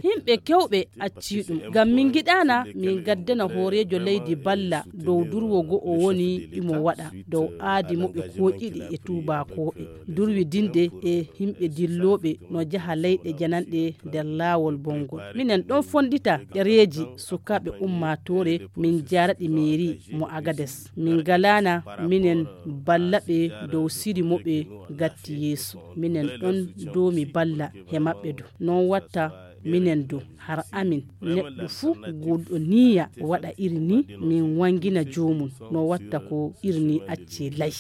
himɓe kewɓe acciɗum ngam min giɗana min gaddana hoorejo leydi balla dow durwogo o woni imo waɗa dow aadi moɓe koƴiɗi e tubakoɓe durwidinde e himɓe dilloɓe no jaha leyɗe jananɗe nder laawol bongol. Minen ɗon fondita ɗereji sukaɓe ummatore min jaraɗi mairie mo Agades min galana minen ballaɓe dow siri moɓe gatti yeeso. Minen ɗon domi balla he maɓɓe do non watta minen do har amin neɗɗo fuu gulɗo niya waɗa iri ni min wangina jomum no watta ko iri ni acce lay.